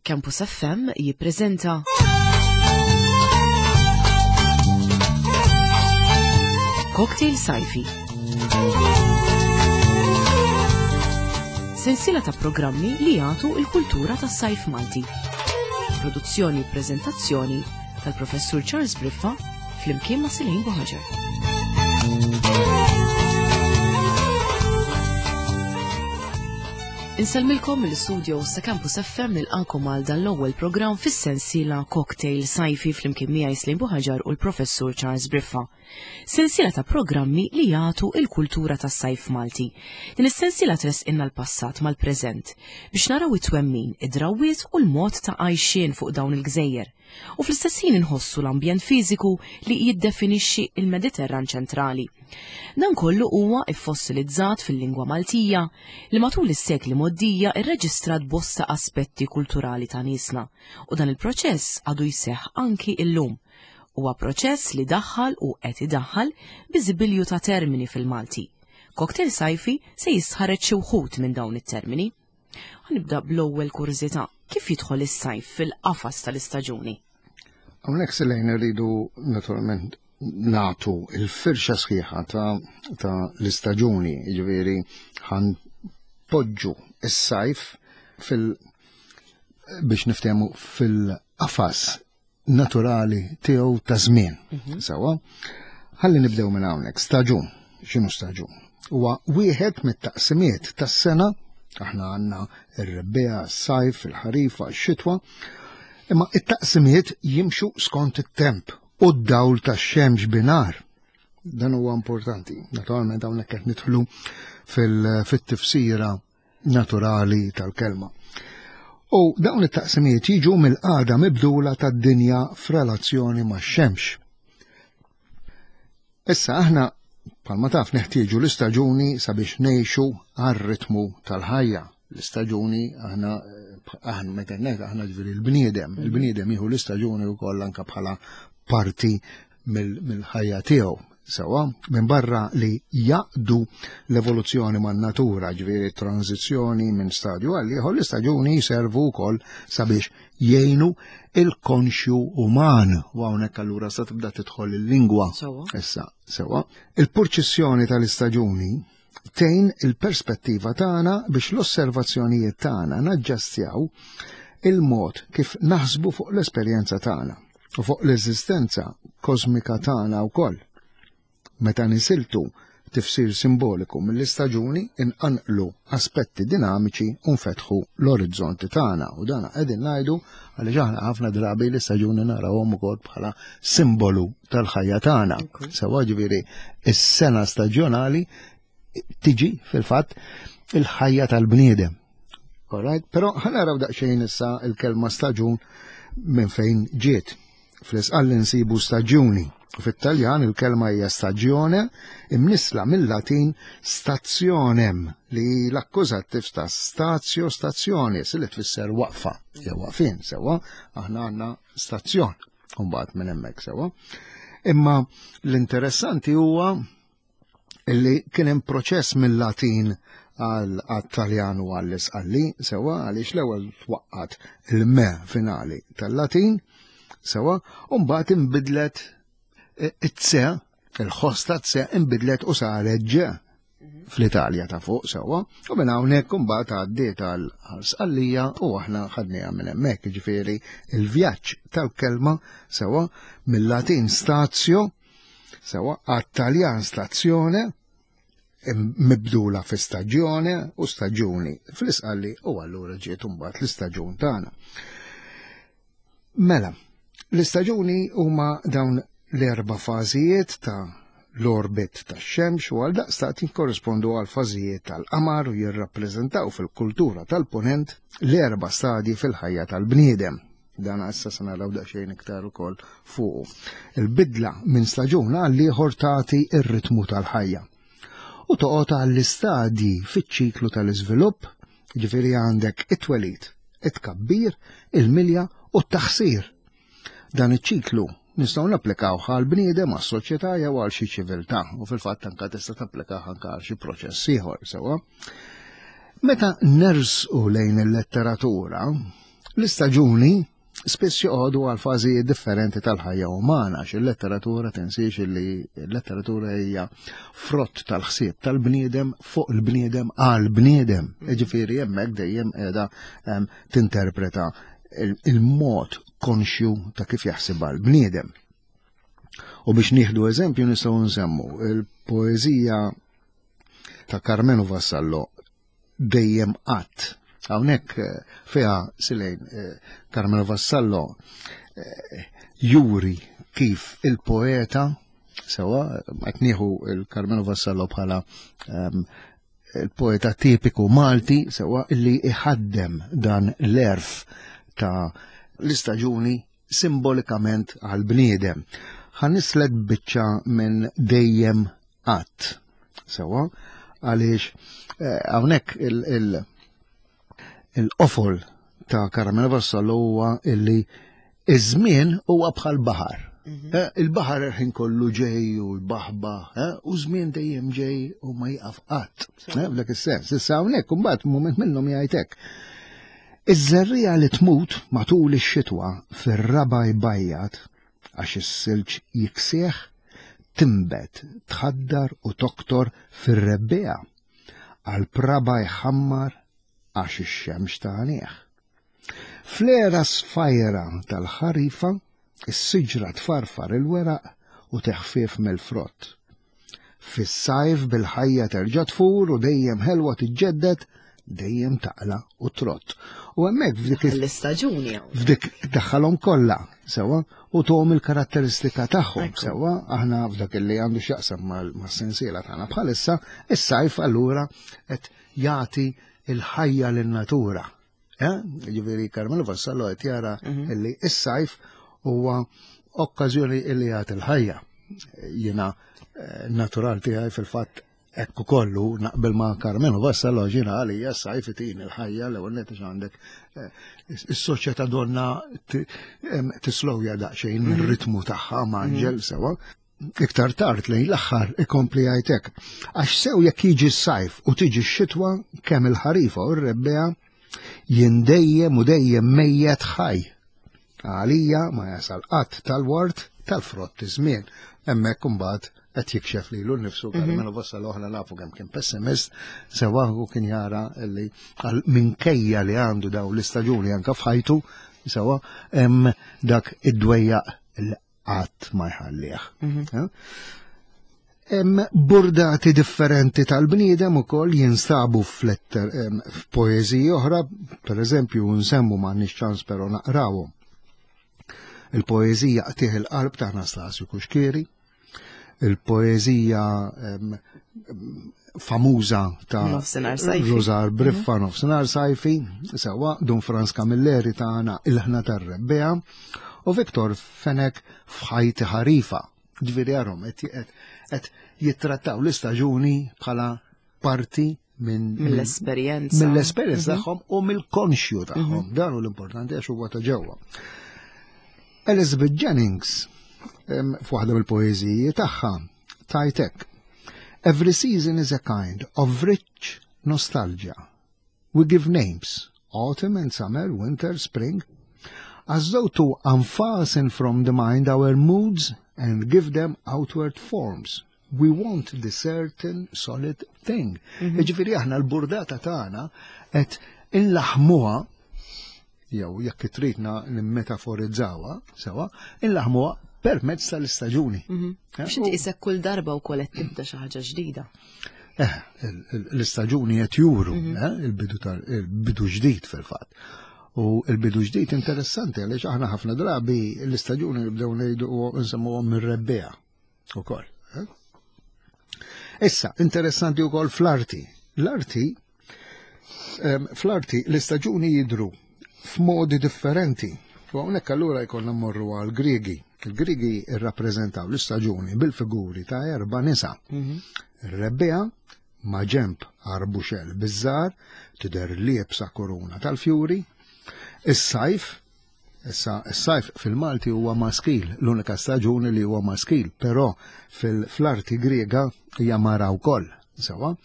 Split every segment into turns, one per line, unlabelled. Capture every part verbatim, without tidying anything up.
Campus F M jippreżenta Cocktail Sajfi. Sensiela ta' programmi li jagħtu l-kultura tas-sajf Malti. Produzzjoni u preżentazzjoni tal-Professur Charles Briffa flimkien ma' Selene Buhaġar. Insellmilkom mill-istudio sa' Campus F M nilqakom għal dan l-ewwel programm fis-sensiela Cocktail Sajfi flimkien miegħi Selene Buhaġar u l-Professur Charles Briffa. Sensiela ta' programmi li jagħtu l-kultura tas-sajf Malti. Din is-sensiela tresqilna l-passat mal-preżent biex naraw it-twemmin, id-drawwiet u l-mod ta' għajxien fuq dawn il-gżejjer. U fl-istess ħin inħossu l-ambjent fiżiku li jiddefinixxi il-Mediterran ċentrali. Dan kollu huwa iffossilizzat fil-lingwa Maltija li matul is-sekli mgħoddija rreġistrat bosta aspetti kulturali ta' niesna, u dan il-proċess għadu jseħħ anki illum. Huwa proċess li daħħal u qed idaħħal biżibilju ta' termini fil-Malti. Cocktail Sajfi se jistħarreġ xi wħud minn dawn it-termini. Ħanibda bl-ewwel kurżità, kif jidħol is-sajf fil-qafas tal-istaġuni?
Hawnhekk Selene rridu naturalment nagħtu il-firxa sħiħa ta', ta' l-istaġuni, jiġifieri ħanpoġġu is-sajf fil biex niftehmu fil-qafas naturali tiegħu ta' żmien.
Mhm.
Sewwa, ħalli nibdew minn hawnhekk. Staġun, x'inhu staġun? Huwa wieħed mit-taqsimiet tas-sena, aħna għandna r-rebbiegħa, s-sajf, il-ħarifa, x-xitwa, imma it-taqsimiet jimxu skont it-temp u d-dawl tax-xemx binar. Dan huwa importanti. Naturalment hawnhekk qed nidħlu fil-, fit-tifsira naturali tal-kelma. U dawn it-taqsimiet jiġu mill-qagħda mibdula tad-dinja f'relazzjoni max-xemx. Issa aħna bħalma taf neħtieġu l-istaġuni sabiex ngħixu għar-ritmu tal-ħajja. L-istaġuni aħna, aħna meta ngħid aħna ġifieri l-bniedem, il-bniedem jieħu l-istaġuni wkoll anke bħala parti mill-, mill-ħajja tiegħu. Sewwa, minn barra li jaqdu l-evoluzzjoni man-natura, ġifieri tranzizzjoni minn stadju għal ieħor, l-istaġuni jservu wkoll sabiex jgħinu il-konxju uman. U hawnhekk allura sa tibda tidħol il-lingwa.
Sewwa.
Issa, sewwa. Il-purċissjoni tal-istaġuni tgħin il-perspettiva tagħna biex l-osservazzjonijiet tagħna naġġastjaw il-mod kif naħsbu fuq l-esperjenza tagħna u fuq l-eżistenza kosmika tagħna wkoll. Meta nisiltu tifsir simboliku mill-istaġuni inqanqlu aspetti dinamiċi u nfetħu l-orizzonti tagħna. U dan qegħdin ngħidu għaliex aħna ħafna drabi l-istaġuni narawhom ukoll bħala simbolu tal-ħajja tagħna.
Ok.
Sewwa ġifieri is-sena staġjonali tiġi fil-fatt il-ħajja tal-bniedem. All right? Però ħanaraw daqsxejn issa il-kelma staġun minn fejn ġiet. Fl-Isqalli nsibu staġuni. Fit-Taljan il-kelma hija stagione, imnisla mill-Latin stazionem, li l-akkużattiv ta' stazio stazzjoni, li tfisser waqfa, jew waqfien, sewwa, aħna għandna stazzjon, u mbagħad minn hemmhekk sewwa. Imma l-interessanti huwa li kien hemm proċess mill-Latin għal għat-Taljan u għall-Isqalli, sewwa, għaliex l-ewwel twaqqat il-me finali tal-Latin, sewwa, u mbagħad inbidlet it-tse, il-ħoss ta' tse inbidlet u saret ġe fl-Italja ta' fuq sewwa, u minn hawnhekk imbagħad għaddiet għal Sqallija u aħna ħadniha minn hemmhekk, jiġifieri il-vjaġġ tal-kelma sewwa mill-Latin stazio sewwa għat-Taljan stazzjone mibdula fi staġjone u staġuni fl-Isqalli, u allura ġiet imbagħad l-istaġun tagħna. Mela, l-istaġuni huma dawn l-erba' fażijiet ta' l-orbit tax-xemx u għal daqstant jikkorrispondu għal fażijiet tal-qamar u jirrappreżentaw fil-kultura tal-punent l-erba' stadji fil-ħajja tal-bniedem. Dan issa se naraw daqsxejn iktar ukoll fuqu. Il-bidla minn staġun għal ieħor tagħti r-ritmu tal-ħajja. U toqgħod għall-istadji fiċ-ċiklu tal-iżvilupp, jiġifieri għandek it-twelid, it-tkabbir, il-milja u t-taħsir. Dan iċ-ċiklu nistgħu napplikaw għal bniedem, għas-soċjetà jew għal xi ċiviltà, u fil-fatt anke tista' tapplikah anke għal xi proċess ieħor sewwa. Meta nersqu lejn il-letteratura, L-istaġuni spiss joqogħdu għal fażijiet differenti tal-ħajja umana, għax il-letteratura, tinsiex li l-letteratura hija frott tal-ħsieb tal-bniedem fuq il-bniedem għal bniedem. Ġifieri hemmhekk dejjem qiegħda tinterpreta il-mod konxju ta' kif jaħseb l-bniedem. U biex nieħdu eżempju nistgħu nsemmu il-poeżija ta' Karmenu Vassallo "Dejjem Qatt". Hawnhekk eh, fiha Silejn eh, Karmenu Vassallo eh, juri kif il-poeta, sewa, qed nieħu il-Karmenu Vassallo bħala ehm, il-poeta tipiku Malti, sewa, illi iħaddem dan l-għerf ta' l-istaġuni simbolikament għal-bniedem. Ħa nislet biċċa minn "Dejjem Qatt". Sewa, għaliex hawnhekk il- il- il-qofol ta' Karmenu Vassallo huwa illi iż-żmien huwa bħal baħar. Mhm. Eh, il-baħar il-ħin kollu ġej u l-baħba, eh, u żmien dejjem ġej u ma jaqaf qatt. Eh, f'dak is-sens. Issa hawnhekk imbagħad mument minnhom jgħidlek: "Iż-żerriegħa li tmut matul ix-xitwa fir-raba jbajjat għax is-silġ jiksieħ, timbet, tħaddar u toktor fir-rebbiegħa. Għal-praba jħammar għax ix-xemx tagħnih. Fl-era sfajra tal-ħarifa, is-siġra tfarfar il-weraq u teħfif mill-frott. Fis-sajf bil-ħajja terġa' tfur u dejjem ħelwa tiġġedded, dejjem taqla u trott." U hemmhekk f'dik
l-istaġuni.
F'dik daħħalhom kollha, sewa, u tuhom il-karatteristika tagħhom, sewa, aħna f'dak li għandu x'jaqsam mas-sensiela tagħna bħalissa, is-sajf allura qed jagħti il-ħajja lin-natura. Eh? Ġifieri Karmenu Vassallo qed jara mhm. illi is-sajf huwa okkażjoni illi jagħti il-ħajja. Jiena eh, natural tiegħi fil-fatt ekku kollu naqbel ma' Karmenu Vassallo, ġina għalija s-sajf itin il-ħajja. L-ewwel nett għandek eh, is-soċjetà donna tislowja daqsxejn mhm. ir-ritmu tagħha maġġel, mhm. sewa. Iktar tard lejn l-aħħar ikompli jgħidlek: "Għax sew jekk jiġi s-sajf u tiġi x-xitwa, kemm il-ħarifa u r-rebbiegħa, jien dejjem u dejjem mejjet ħaj. Għalija ma jasal qatt tal-ward tal-frott iż-żmien." Hemmhekk imbagħad qed jikxef lilu nnifsu mhm. Karmenu Vassallo, aħna nafu kemm kien pessimist, sewa, u kien jara li minkejja li għandu daw l-istaġuni anka f'ħajtu, sewa, hemm dak id-dwejjaq qatt ma jħallih. Mhm. Hemm burdati differenti tal-bniedem ukoll jinstabu f'letter f'poeżiji oħra, per eżempju nsemmu, m'għandniex ċans però naqrawhom, il-poeżija "Qtigħ il-Qalb" ta' Anastasju Cuschieri, il-poeżija famuża ta' Rużar Briffa mhm. "Nofsinhar Sajfi", sewa, Dun Frans Camilleri tagħna "Il-Ħna tar-Rebbiegħa" u Viktor Fenek "F'Ħajti Ħarifa". Ġifieri għarhom qed jittrattaw l-istaġuni bħala parti minn
mill-esperjenza.
Mill-esperjenza mhm. tagħhom u mill-konxju tagħhom. Mhm. Dan hu l-importanti għax huwa ta' ġewwa. Elizabeth Jennings f'waħda mill-poeżiji tagħha tgħidlek: "Every season is a kind of rich nostalgia. We give names, autumn and summer, winter, spring, as though to unfasten from the mind our moods and give them outward forms. We want the certain solid thing." Mm -hmm. Ġifieri aħna l-burdata tagħna qed inlaħmuha, jew jekk tridna nimmetaforizzawa, sewa, inlaħmuha permezz tal-istaġuni.
Mhm. Biex inti isek kull darba wkoll qed tibda xi ħaġa ġdida.
Eh, l-istaġuni qed juru mhm. eh, il-bidu tal-bidu ġdid fil-fatt. U il-bidu ġdid interessanti għaliex aħna ħafna drabi l-istaġuni nibdew ngħidu nsemmuhom mir-rebbiegħa ukoll. Eh? Issa, interessanti wkoll fl-arti. L-arti, fl-arti l-istaġuni jidru f'modi differenti. U hawnhekk allura jkollna mmorru għal Griegi. Il-Griegi irrappreżentaw l-istaġuni bil-figuri ta' erba' nisa. Mhm. Ir-rebbiegħa ma' ġemp arbuxell biż-żahar tidher liebsa korona tal-fjuri. Is-sajf, issa is-sajf fil-Malti huwa maskil, l-unika staġuni li huwa maskil, però fil-arti Griega hija mara wkoll. Sewa,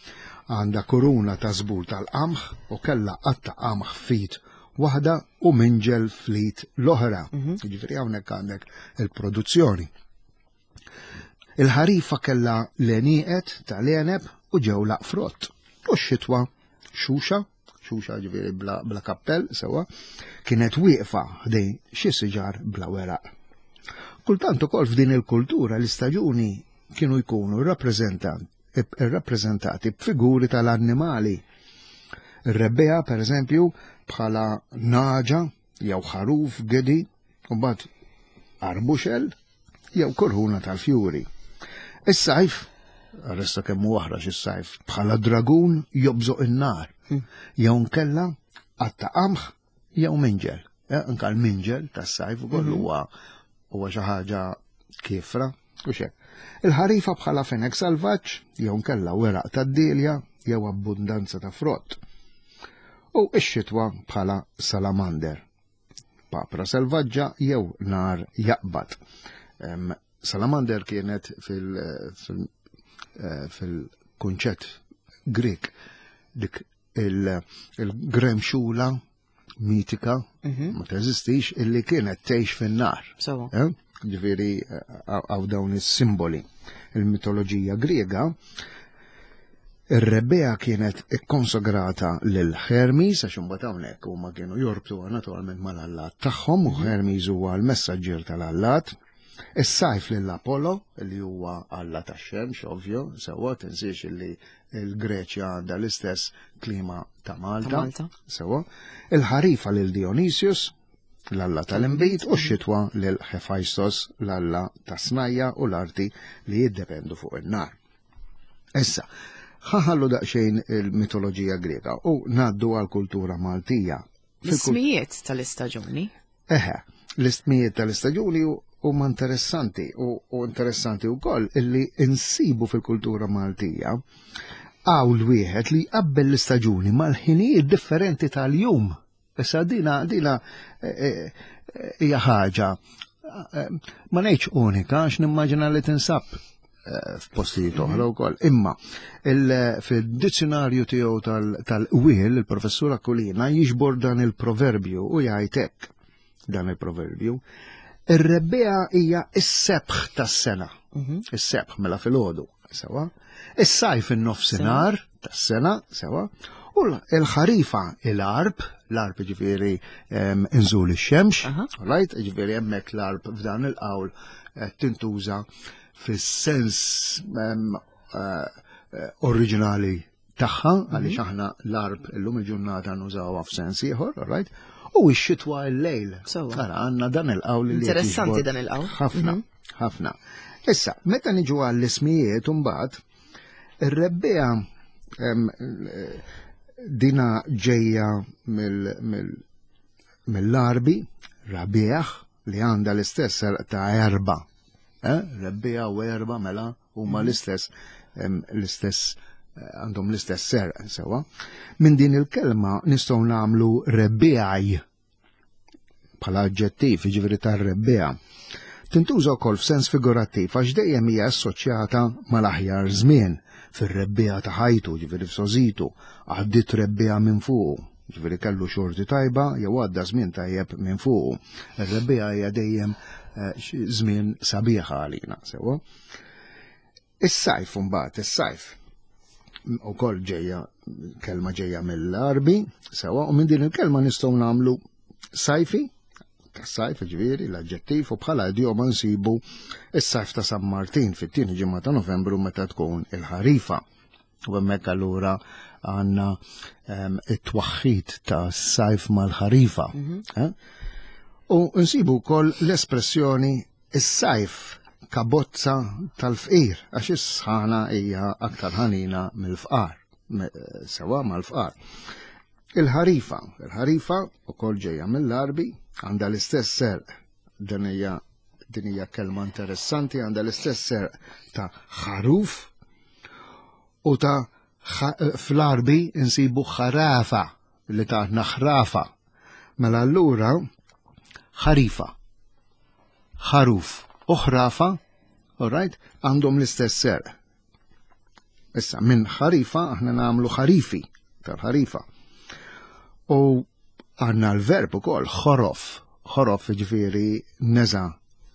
għandha koruna ta' żbul tal-qamħ u kellha qatta qamħ f'id waħda u minġel fl-id l-oħra. Jiġifieri hawnhekk għandek il-produzzjoni. Il-ħarifa kellha l-għenieqed tal-għeneb u ġewlaq frott. U x-xitwa xuxa, xuxa ġifieri bla, bla kappell sewa, kienet wieqfa ħdejn xi siġar bla weraq. Kultant ukoll f'din il-kultura l-istaġuni kienu jkunu rappreżentati b'figuri tal-annimali. Ir-rebbiegħa, per eżempju, bħala nagħġa jew ħaruf gedi, u mbagħad arbuxel jew kurhuna tal-fjuri. Is-sajf, arresta kemm hu aħrax is-sajf, bħala dragun jobżoq in-nar, jew nkella qatta qamħ jew minġel. Anka l-minġel tas-sajf ukoll huwa huwa xi ħaġa kiefra u xek. Il-ħarifa bħala fenek salvaġġ jew nkella weraq tad-dilja jew abbundanza ta' frott. U x-xitwa bħala salamander, papra selvaġġa jew nar jaqbad. Salamander kienet fil-kunċett Grek dik il-gremxula mitika, ma teżistix, illi kienet tgħix fin-nar. Ġifieri għaw dawn is-simboli. Il-mitoloġija Griega, ir-rebbiegħa kienet ikkonsagrata lil Hermes, għax imbagħad hawnhekk huma kienu jorbtu naturalment mal-allat tagħhom, u Hermes huwa l-messaġġier tal-allat. Is-sajf lil Apollo, li huwa alla tax-xemx, ovvjo, sewwa tinsiex illi l-Greċja għandha l-istess klima ta' Malta. Sewwa. Il-ħarifa lil Dionysius, l-alla tal-inbid, u x-xitwa lil Hephaistos, l-alla tas-snajja u l-arti li jiddependu fuq in-nar. Issa, ħaħallu daqsxejn il-mitoloġija Greka u ngħaddu għal-kultura Maltija.
L-ismijiet tal-istaġuni?
Eħe, l-ismijiet tal-istaġuni huma interessanti u interessanti wkoll illi insibu fil-kultura Maltija għawl wieħed li jqabbel l-istaġuni mal-ħinijiet differenti tal-jum. Issa dina dina hija ħaġa ma ngħidx unika għax nimmaġina li tinsab f'postijiet oħra wkoll. Imma fid-dizzjonarju tiegħu tal-qwiel il-professur Aquilina jiġbor dan il-proverbju u jgħid hekk dan il-proverbju. Ir-rebbiegħa hija s-sebħ tas-sena. Is-sebħ mela filgħodu, sewa. Is-sajf in-nofsinhar tas-sena, sewa. U l-ħarifa il-għarb, l-għarb ġifieri inżul ix-xemx, right? Ġifieri hemmhekk l-għarb f'dan il-qawl tintuża fis-sens oriġinali tagħha, għaliex aħna l-għarb illum il-ġurnata nużawha f'sens ieħor, right? U x-xitwa l-lejl. Ara għandna dan il-qawl li
Interessanti dan il-qawl.
Ħafna, ħafna. Issa, meta niġu għall-ismijiet imbagħad, ir-rebbiegħa dina ġejja mill-Arbi, rabieħ, li għandha l-istess ta' erba. Rebbiegħa u erba mela huma l-istess l-istess għandhom l-istess ser, sewa. Minn din il-kelma nistgħu nagħmlu rebbiegħaj bħala aġġettiv, jiġifieri tar-rebbiegħa. Tintuża wkoll f'sens figurattiv għax dejjem hija assoċjata mal-aħjar żmien fir-rebbiegħa ta' ħajtu, ġifieri f'sożitu, għaddiet rebbiegħa minn fuqu, ġifieri kellu xorti tajba jew għadda żmien tajjeb minn fuqu. Ir-rebbiegħa hija dejjem żmien sabiħ għalina, sewa. Is-sajf imbagħad, is-sajf ukoll ġejja kelma ġejja mill-Arbi, sewa, u minn din il-kelma nistgħu nagħmlu sajfi, tas-sajf ġifieri l-aġġettiv, u bħala idjoma nsibu is-sajf ta' San Martin fit-tieni ġimgħa ta' Novembru meta tkun il-ħarifa. U hemmhekk allura għandna it-twaħħid ta' sajf mal-ħarifa. U nsibu wkoll l-espressjoni is-sajf kabozza tal-fqir, għax is-sħana hija aktar ħanina mill-fqar, sewa mal-fqar. Il-ħarifa, il-ħarifa ukoll ġejja mill-Arbi, għandha l-istess serq, din hija din hija kelma interessanti, għandha l-istess serq ta' ħaruf u ta' fl-Arbi insibu ħarafa li ta' naħrafa. Mela allura ħarifa, ħaruf u ħrafa, all right, għandhom l-istess serq. Issa minn ħarifa aħna nagħmlu ħarifi tal-ħarifa. U Għandna l-verb ukoll ħorof, ħorof ġifieri neza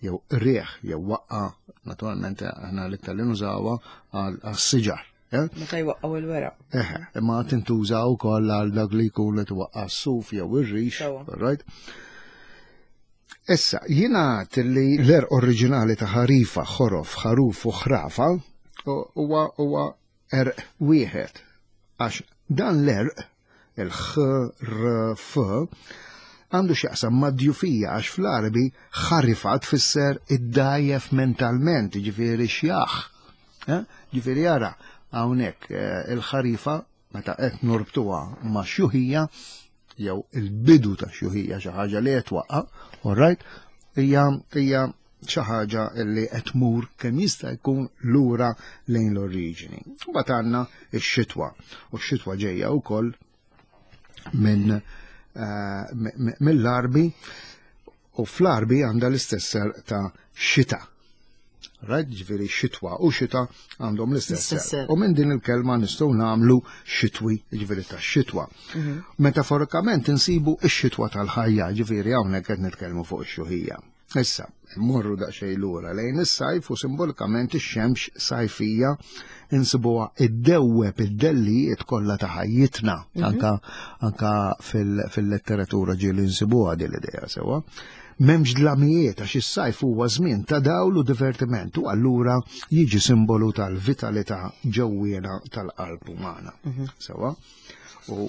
jew rieħ jew waqqa, naturalment aħna l-iktar li nużawha għas-siġar. Eh?
Meta jwaqqgħu il-weraq.
Eħe, imma tintuża wkoll għal dak li jkun li twaqqa' s-suf jew ir-rix, right? Issa, jingħad li l-għerq oriġinali ta' ħarifa, ħorof, ħaruf u ħrafa huwa huwa għerq wieħed. Għax dan l-għerq, il-ħ, r, f, għandu x'jaqsam ma' djufija għax fl-Arabi ħarifa tfisser id-dajjef mentalment, ġifieri xjaħ. Eh? Ġifieri ara, hawnhekk eh, il-ħarifa meta qed norbtuha ma' xjuħija jew il-bidu ta' xjuħija xi ħaġa li qed twaqqa, all right, hija hija xi ħaġa li qed tmur kemm jista' jkun lura lejn l-oriġini. Mbagħad għandna x-xitwa, u x-xitwa ġejja wkoll minn eh, mill-Arbi u fl-Arbi għandha l-istess ta' xita. Right? Ġifieri xitwa u xita għandhom l-istess. U minn din il-kelma nistgħu nagħmlu xitwi, ġifieri ta' xitwa. Mhm. Metaforikament insibu x-xitwa tal-ħajja, ġifieri hawnhekk qed nitkellmu fuq ix-xjuħija. Issa, mmorru daqsxejn lura lejn is-sajf u simbolikament ix-xemx sajfija insibuha iddewweb id-dellijiet kollha ta' ħajjitna. Mhm. Anka anka fil-letteratura ġieli nsibuha din l-idea sewwa. M'hemmx dlamijiet għax is-sajf huwa żmien ta' dawl u divertiment u allura jiġi simbolu tal-vitalità ġewwiena tal-qalb umana. Mhm. Sewwa? U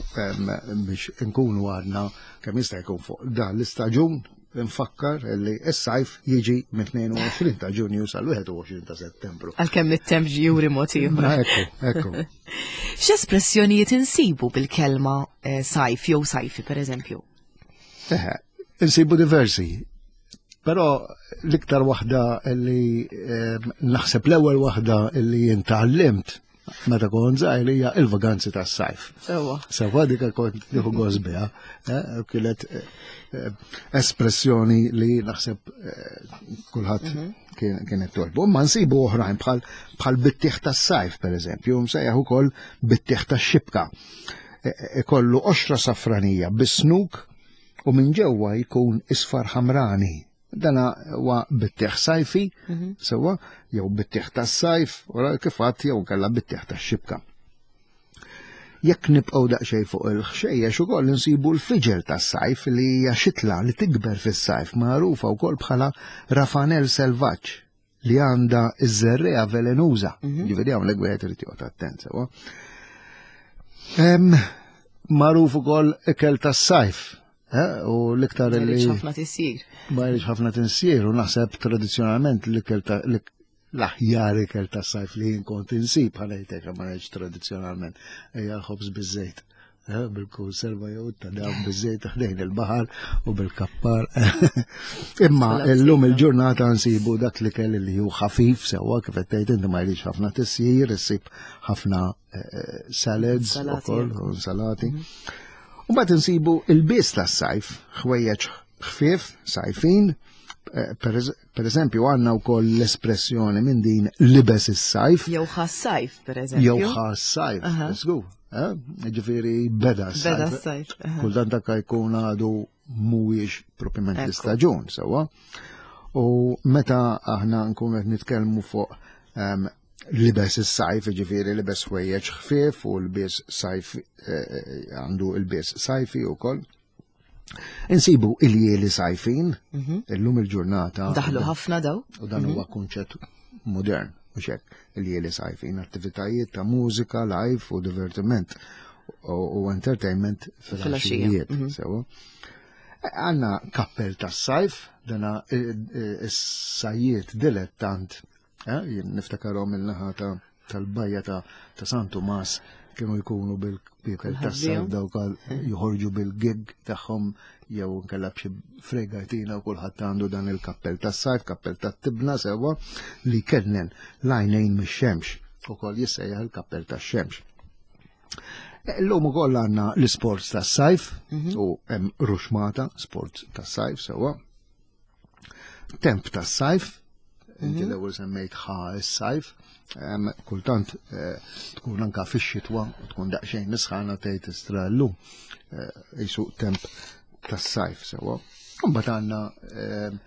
biex nkunu għadna kemm jista' jkun fuq dan l-istaġun nfakkar li s-sajf jiġi minn tnejn u għoxrin ta' Ġunju sal-wieħed u għoxrin ta' Settembru.
Għalkemm it-temp juri mod ieħor.
Ekku, ekku.
X'espressjonijiet insibu bil-kelma eh, sajf jew sajfi per eżempju?
Eħe, insibu diversi. Però l-iktar waħda li eh, naħseb l-ewwel waħda li jien tgħallimt meta kont żgħir hija il-vaganzi tas-sajf.
Sewwa.
Sewwa dik kont nieħu gost biha, eh, kienet eh, espressjoni li naħseb eh, kulħadd mhm. kienet togħġbu. Ma nsibu oħrajn bħal bħal bittieħ tas-sajf pereżempju, msejjaħ ukoll bittieħ tax-xibka. Ikollu qoxra safranija bis-snuk u minn ġewwa jkun isfar ħamrani. Dana huwa bittieħ sajfi, mhm. sewwa, jew bittieħ tas-sajf, u kif għedt jew kella bittieħ tax-xibka. Jekk nibqgħu daqsxejn fuq il-ħxejjex ukoll insibu l-fiġel tas-sajf li hija xitla li tikber fis-sajf magħrufa wkoll bħala rafanel selvaġġ li għandha iż-żerriegħa velenuża. Mhm. Ġifieri hawnhekk wieħed irid joqgħod attent sewwa. Magħruf ukoll ikel tas-sajf. Eh, u l-iktar
Ma
li
jridx ħafna tisjir.
Ma jridx ħafna tisjir u naħseb tradizzjonalment l-ikel ta' l-aħjar ikel ta' sajf li jien kont insib ħanejtek ma ngħidx tradizzjonalment hija l-ħobż biż-żejt. Eh, bil-konserva jew ta' dawn biż-żejt ħdejn il-baħar u bil-kappar. Imma illum il-ġurnata nsibu dak li kell li hu ħafif sewwa kif qed tgħid inti ma jridx ħafna tisjir, issib ħafna eh, salads ukoll u salati. Mhm. U mbagħad insibu l-ilbies tas-sajf, ħwejjeġ ħfief, sajfin, eh, per eżempju għandna wkoll l-espressjoni minn din libes is-sajf.
Jew ħas-sajf, per eżempju.
Jew ħas-sajf, żgur. Eh? Ġifieri beda
s-sajf. Beda s-sajf.
Kultant dak jkun għadu mhuwiex propjament l-istaġun, sewwa. U meta aħna nkunu qed nitkellmu fuq um, libes is-sajf, ġifieri libes ħwejjeġ ħfief u l-bies sajf eh, eh, għandu l-bies sajfi wkoll. Insibu il-jieli sajfin, mhm. illum il-ġurnata.
Daħlu ħafna daw.
U dan huwa mhm. kunċett modern, u xek, il-jieli sajfin, attivitajiet ta' mużika, live u divertiment u entertainment fil-għaxijiet. Mhm. Sewwa. Għandna kappell tas-sajf, dana is-sajjiet dilettant Eh, jien niftakarhom il-naħa tal-bajja ta' San Tumas kienu jkunu bil-kappell tas-sajf dawk joħorġu bil-gig tagħhom jew nkella b'xi fregatina u kulħadd għandu dan il-kappell tas-sajf, kappell tat-tibna sewwa li kennen l-għajnejn mix-xemx ukoll jissejjaħ il-kappell tax-xemx. Illum ukoll għandna l-sports tas-sajf mhm. u hemm ruxmata sports tas-sajf sewwa. Temp tas-sajf, inti mhm. l-ewwel semmejt ħa s-sajf, kultant eh, tkun anka fix-xitwa u tkun daqsxejn nisħana tgħid istra llum. Eh, jisu temp tas-sajf sewwa. Mbagħad għandna ehm,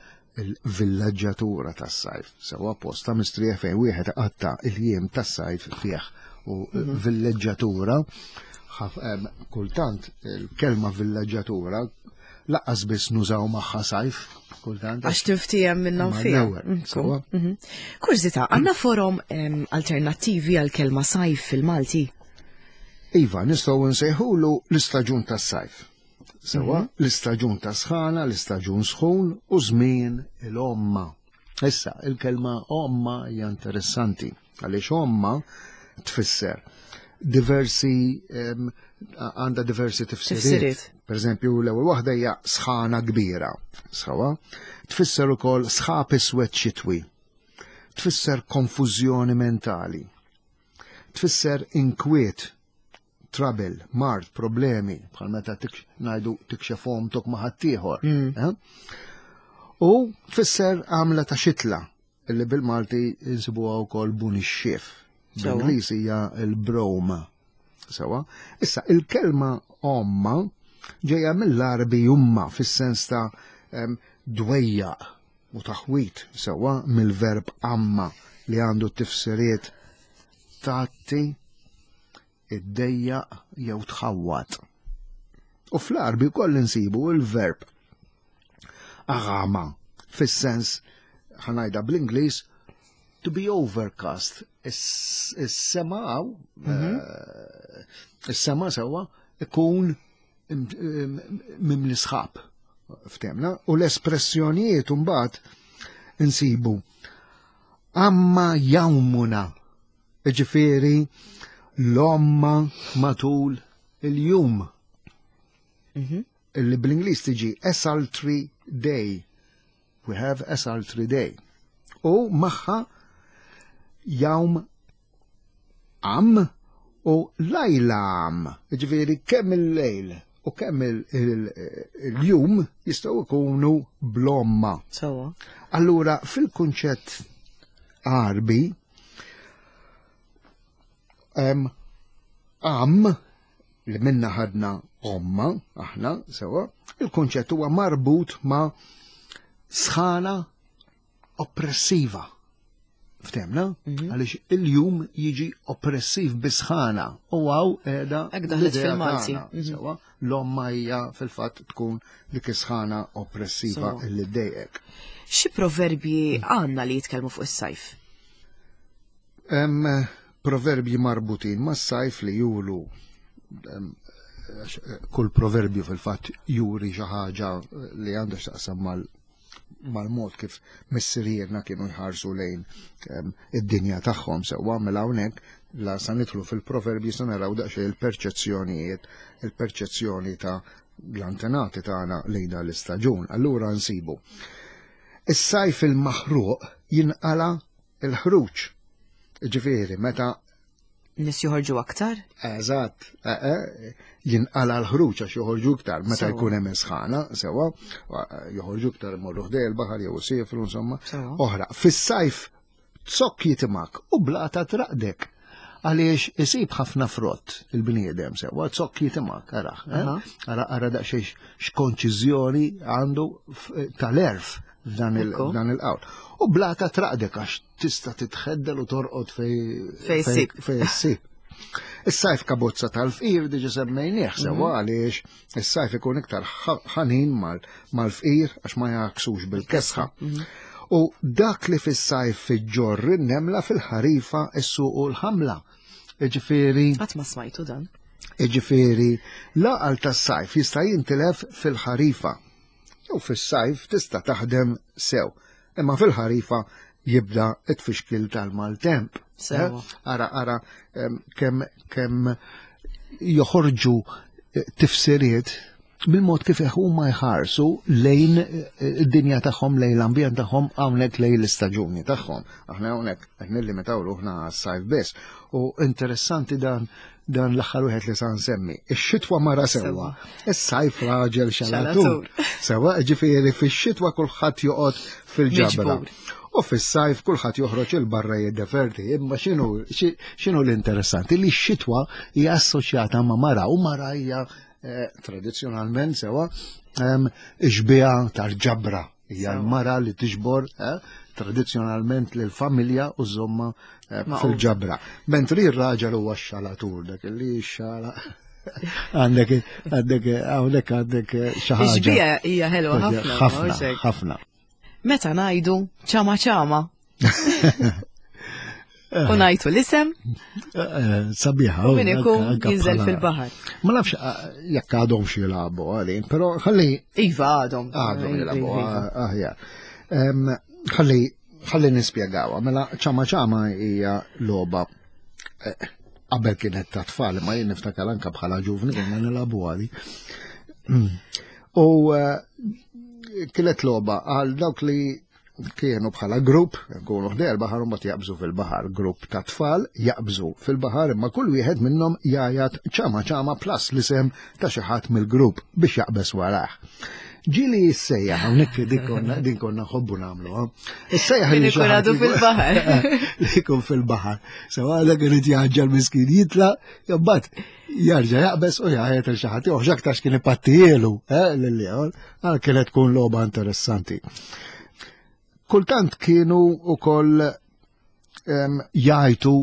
il-villaġġatura tas-sajf, sewwa posta mistrieħ fejn wieħed qatta il-jiem tas-sajf fih u mhm. villaġġatura ehm, kultant il-kelma villaġġatura lanqas biss nużaw magħha sajf kultant.
Għax tiftijem minna fiha. Mhm. Mhm. Kurżità, għandna forom ehm, alternattivi għal kelma sajf fil-Malti?
Iva, nistgħu nsejħulu l-istaġun tas-sajf. Sewwa, mhm. l-istaġun ta' sħana, l-istaġun sħun u żmien il-omma. Issa, il-kelma omma hija interessanti, għaliex omma tfisser diversi għandha diversi tifsiriet. Per eżempju, l-ewwel waħda hija sħana kbira. Sewwa, tfisser ukoll sħab iswed xitwi. Tfisser konfużjoni mentali. Tfisser inkwiet trouble, mard, problemi, bħal meta ngħidu tikxef omtok ma' ħaddieħor. Mm. Eh? U tfisser għamla ta' xitla, illi bil-Malti insibuha wkoll bunixxief. Bl-Ingliż hija l-brome. Sewwa. Issa, il-kelma omma ġejja mill-Arbi umma fis-sens ta' dwejjaq u taħwit sewwa mill-verb amma li għandu tifsiriet tatti, iddejjaq jew tħawwat. U fl-Arbi koll insibu il-verb agama fis-sens ħa ngħidha bl-Ingliż to be overcast. Is-sema mhm. eh, is-sema sewwa ikun mimli sħab ftemna u l-espressjonijiet mbagħad insibu amma jawmuna ġifieri l-omma matul il-jum. Mhm. Illi bl-Ingliż tiġi a sultry day. We have a sultry day. U magħha jawm am u lajla am. Ġifieri kemm il-lejl u kemm il-jum jistgħu jkunu bl-omma.
Sewwa.
Allura fil-kunċett Arbi em, am li minna ħadna omma, aħna, sewwa, il-kunċett huwa marbut ma' sħana oppressiva. Ftemna?
Mhm.
Għaliex il-jum jiġi oppressiv bisħana u għaw edha
Hekk daħlet
l-idea
fil-Malti.
tagħna,
Mhm.
Sewwa, l-omma hija fil-fatt tkun dik is-sħana oppressiva
Sewwa.
illi ddejqek.
Xi proverbji għandna li jitkellmu fuq is-sajf?
Hemm proverbji marbutin mas-sajf li juru em, għax, eh, kull proverbju fil-fatt juri xi ħaġa li għandha x'taqsam mal mal-mod kif missirijietna kienu jħarsu lejn em, id-dinja tagħhom sewwa mela hawnhekk la sa nidħlu fil-proverbji sa naraw daqsxejn il-perċezzjonijiet, il-perċezzjoni ta' l-antenati tagħna lejn dan l-istaġun. Allura nsibu. Is-sajf il-maħruq jinqala il-ħruġ. Ġifieri, meta
Nies joħorġu aktar?
Eżatt, eh, eh, jinqala l-ħruġ għax joħorġu iktar, meta
Sewwa.
jkun hemm sħana, sewwa, joħorġu iktar imorru ħdej il-baħar jew isifru, insomma.
Sewwa.
Oħra, fis-sajf zokk jitimak u blata traqdek. Għaliex isib ħafna frott il-bniedem sewwa, zokk jitimak, ara, eh?
Aha.
ara, ara daqsxejn x'konċiżjoni għandu f- tal-erf f'dan il-
Ekku.
f'dan il-qawl. U blata traqdek għax tista' titħeddel u torqod fej
Fej ssib.
fej ssib. Is-sajf kabozza tal-fqir diġa semmejnieh sewwa għaliex is-sajf ikun iktar ħ- ħanin mal- mal-fqir għax ma jaksux bil-kesħa. U dak li fis-sajf fiġġorr in-nemla fil-ħarifa issuqu l-ħamla. Iġifieri,
Qatt ma smajtu dan.
iġifieri, l-għaqal tas-sajf jista' jintilef fil-ħarifa. Jew fis-sajf tista' taħdem sew, imma fil-ħarifa jibda it-tfixkil tal-maltemp.
Sewwa.
Eh? Ara, ara, em, kemm kemm joħorġu eh, tifsiriet bil-mod kif huma jħarsu lejn eh, id-dinja tagħhom, lejn l-ambjent tagħhom, hawnhekk lejn l-istaġuni tagħhom. Aħna hawnhekk qed nillimitaw ruħna għas-sajf biss. U interessanti dan dan l-aħħar wieħed li sa nsemmi. Ix-xitwa mara sewwa, is-sajf raġel xalatur.
Xalatur.
Sewwa, ġifieri fix-xitwa kulħadd joqgħod fil-ġabra.
Miġbur.
U fis-sajf kulħadd joħroġ il-barra jiddeverti. Imma x'inhu xi- x'inhu l-interessanti li x-xitwa hija assoċjata ma' mara u mara hija eh, tradizzjonalment sewa xbieha tal-ġabra. Hija l-mara li tiġbor eh, tradizzjonalment lill-familja u żomma eh, fil-ġabra. Mentri r-raġel huwa x-xalatur, dak li xala għandek għandek hawnhekk għandek xi ħaġa.
Ix-xbieha hija ħelwa ħafna.
Ħafna, ħafna.
Meta ngħidu ċama ċama. U ngħidu l-isem.
Sabiħa.
U min ikun jinżel fil-baħar.
Ma nafx jekk għadhom xi jilagħbu għalin, però ħalli.
Iva għadhom.
Għadhom jilagħbu, aħjar. Ħalli ħalli nispjegawha, mela ċama ċama hija logħba qabel kienet ta' tfal, ma jien niftakar anke bħala ġuvni konna nilagħbu għali. U kienet logħba għal dawk li kienu bħala grupp, nkunu ħdejn il-baħar u mbagħad jaqbżu fil-baħar, grupp ta' tfal jaqbżu fil-baħar imma kull wieħed minnhom jgħajjat ċama ċama plus l-isem ta' xi ħadd mill-grupp biex jaqbeż warah. Ġieli jissejjaħ, hawnhekk din konna din konna nħobbu nagħmlu. Issejjaħ
li ikun għadu fil-baħar.
Li jkun fil-baħar. Sewa dak irid jaġġel miskin jitla, jobbat jarġa' jaqbeż u jgħajjat il xi ħadd. Joħx aktarx kien ipattijielu, eh, lil ieħor, għal kienet tkun logħba interessanti. Kultant kienu ukoll jgħajtu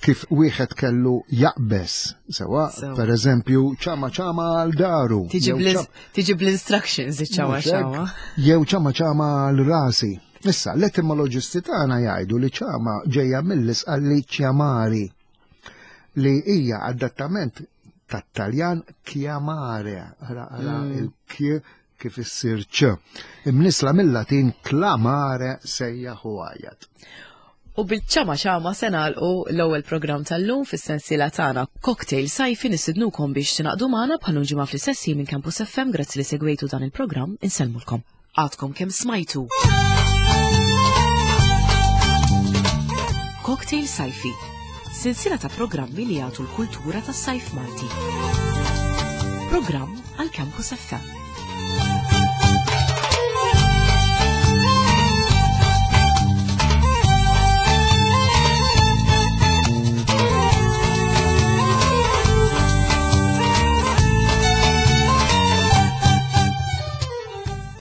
kif wieħed kellu jaqbeż, sewa, per eżempju, ċama ċama għal daru.
Tiġi bl-instructions ċama ċama.
Jew ċama ċama għal rasi. Issa, l-etimoloġisti tagħna jgħidu li ċama ġejja mill-isqalli ċjamari, li hija adattament tat-Taljan chiamare, ara ara il-k kif issir ċ. Imnisla mill-Latin clamare sejjaħ u għajjat.
U bil-ċama ċama se nagħlqu l-ewwel programm tal-lum fis-sensiela tagħna Cocktail Sajfi. Nistidnukom biex tingħaqdu magħna bħal ġimgħa fl-istess minn Campus F M. Grazzi li segwejtu dan il-programm, insellmulkom. Għadkom kemm smajtu. Cocktail Sajfi, sensiela ta' programmi li jagħtu l-kultura tas-sajf Malti. Programm għal Campus F M.